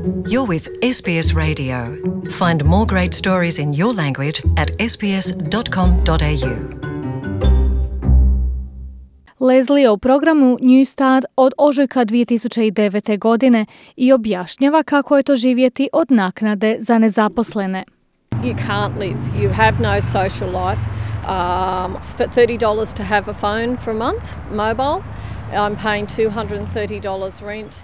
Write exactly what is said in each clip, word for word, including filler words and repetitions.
You're with S B S Radio. Find more great stories in your language at s b s dot com dot a u. Leslie u programu New Start od ožujka dvije tisuće devete. godine i objašnjava kako je to živjeti od naknade za nezaposlene. You can't live. You have no social life. Um, it's for thirty dollars to have a phone for a month, mobile. I'm paying two hundred thirty dollars rent.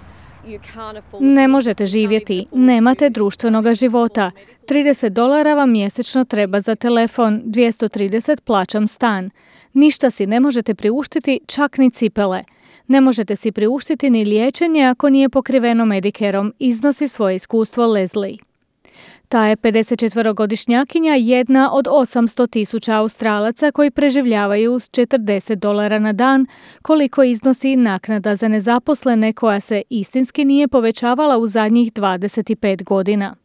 Ne možete živjeti, nemate društvenog života. trideset dolara vam mjesečno treba za telefon, dvjesto trideset plaćam stan. Ništa si ne možete priuštiti, čak ni cipele. Ne možete si priuštiti ni liječenje ako nije pokriveno Medicareom, iznosi svoje iskustvo Leslie. Ta je pedesetčetverogodišnjakinja jedna od osamsto tisuća Australaca koji preživljavaju s četrdeset dolara na dan, koliko iznosi naknada za nezaposlene koja se istinski nije povećavala u zadnjih dvadeset pet godina.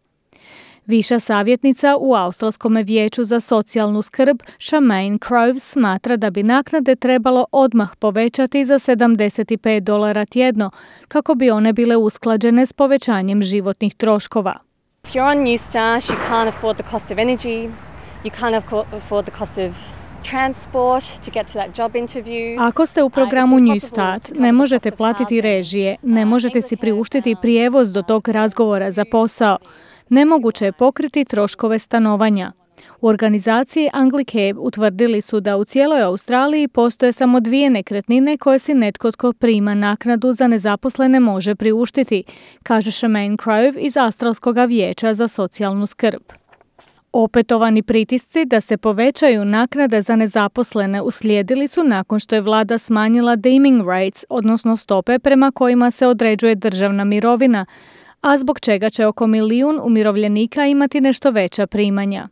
Viša savjetnica u Australskom vijeću za socijalnu skrb Charmaine Crowe smatra da bi naknade trebalo odmah povećati za sedamdeset pet dolara tjedno kako bi one bile usklađene s povećanjem životnih troškova. If you're on New Start, you can't afford the cost of energy, you can't afford the cost of transport to get to that job interview. Ako ste u programu New Start, ne možete platiti režije, ne možete si priuštiti prijevoz do tog razgovora za posao. Nemoguće je pokriti troškove stanovanja. U organizaciji Anglicare utvrdili su da u cijeloj Australiji postoje samo dvije nekretnine koje si netko tko prima naknadu za nezaposlene može priuštiti, kaže Charmaine Crowe iz Australskog vijeća za socijalnu skrb. Opetovani pritisci da se povećaju naknade za nezaposlene uslijedili su nakon što je vlada smanjila deeming rates, odnosno stope prema kojima se određuje državna mirovina, a zbog čega će oko milijun umirovljenika imati nešto veća primanja.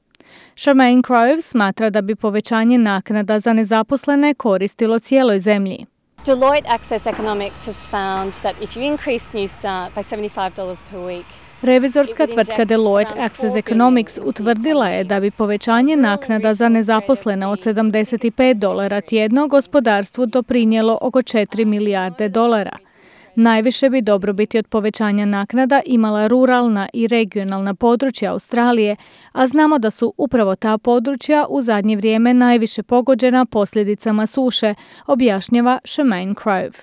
Charmaine Crowe smatra da bi povećanje naknada za nezaposlene koristilo cijeloj zemlji. Deloitte Access Economics has found that if you increase New Start by seventy-five dollars per week, revizorska tvrtka Deloitte Access Economics utvrdila je da bi povećanje naknada za nezaposlene od sedamdeset pet dolara tjedno gospodarstvu doprinijelo oko četiri milijarde dolara. Najviše bi dobrobiti od povećanja naknada imala ruralna i regionalna područja Australije, a znamo da su upravo ta područja u zadnje vrijeme najviše pogođena posljedicama suše, objašnjava Charmaine Crowe.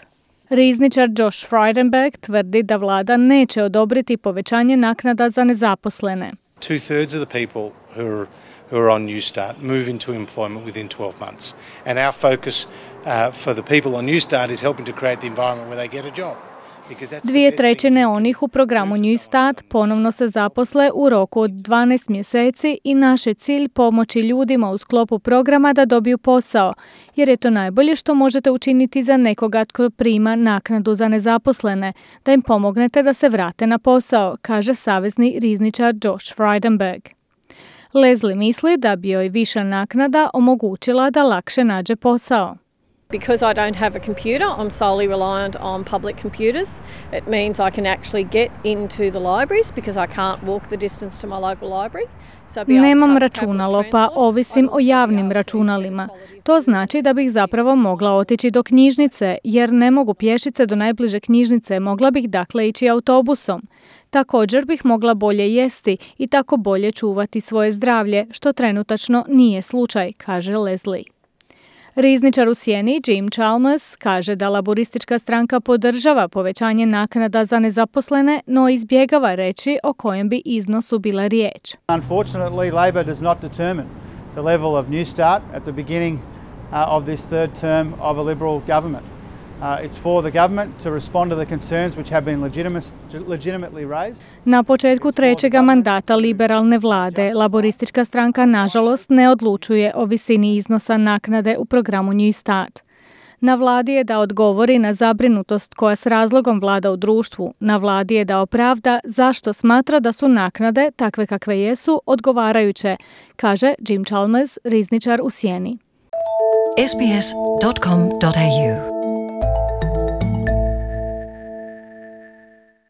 Rizničar Josh Frydenberg tvrdi da vlada neće odobriti povećanje naknada za nezaposlene. Two-thirds of the people who are, who are on New Start move into employment within twelve months. And our focus uh, for the people on New Start is helping to create the environment where they get a job. Dvije trećine onih u programu New Start ponovno se zaposle u roku od dvanaest mjeseci i naš je cilj pomoći ljudima u sklopu programa da dobiju posao, jer je to najbolje što možete učiniti za nekoga tko prima naknadu za nezaposlene, da im pomognete da se vrate na posao, kaže savezni rizničar Josh Frydenberg. Leslie misli da bi joj viša naknada omogućila da lakše nađe posao. Because I don't have a computer, I'm solely reliant on public computers. It means I can actually get into the libraries because I can't walk the distance to my local library. So Nemam računalo, pa ovisim o javnim računalima. To znači da bih zapravo mogla otići do knjižnice, jer ne mogu pješice do najbliže knjižnice, mogla bih dakle ići autobusom. Također bih mogla bolje jesti i tako bolje čuvati svoje zdravlje, što trenutačno nije slučaj, kaže Leslie. Rizničar u sjeni Jim Chalmers kaže da laboristička stranka podržava povećanje naknada za nezaposlene, no izbjegava reći o kojem bi iznosu bila riječ. Unfortunately, Labor does not determine the level of New Start at the beginning uh, of this third term of a Liberal government. Uh, it's for the government to respond to the concerns which have been legitimately raised. Na početku trećega mandata liberalne vlade, laboristička stranka nažalost ne odlučuje o visini iznosa naknade u programu New Start. Na vladi je da odgovori na zabrinutost koja s razlogom vlada u društvu. Na vladi je da opravda zašto smatra da su naknade, takve kakve jesu, odgovarajuće, kaže Jim Chalmers, rizničar u sjeni. s b s dot com dot a u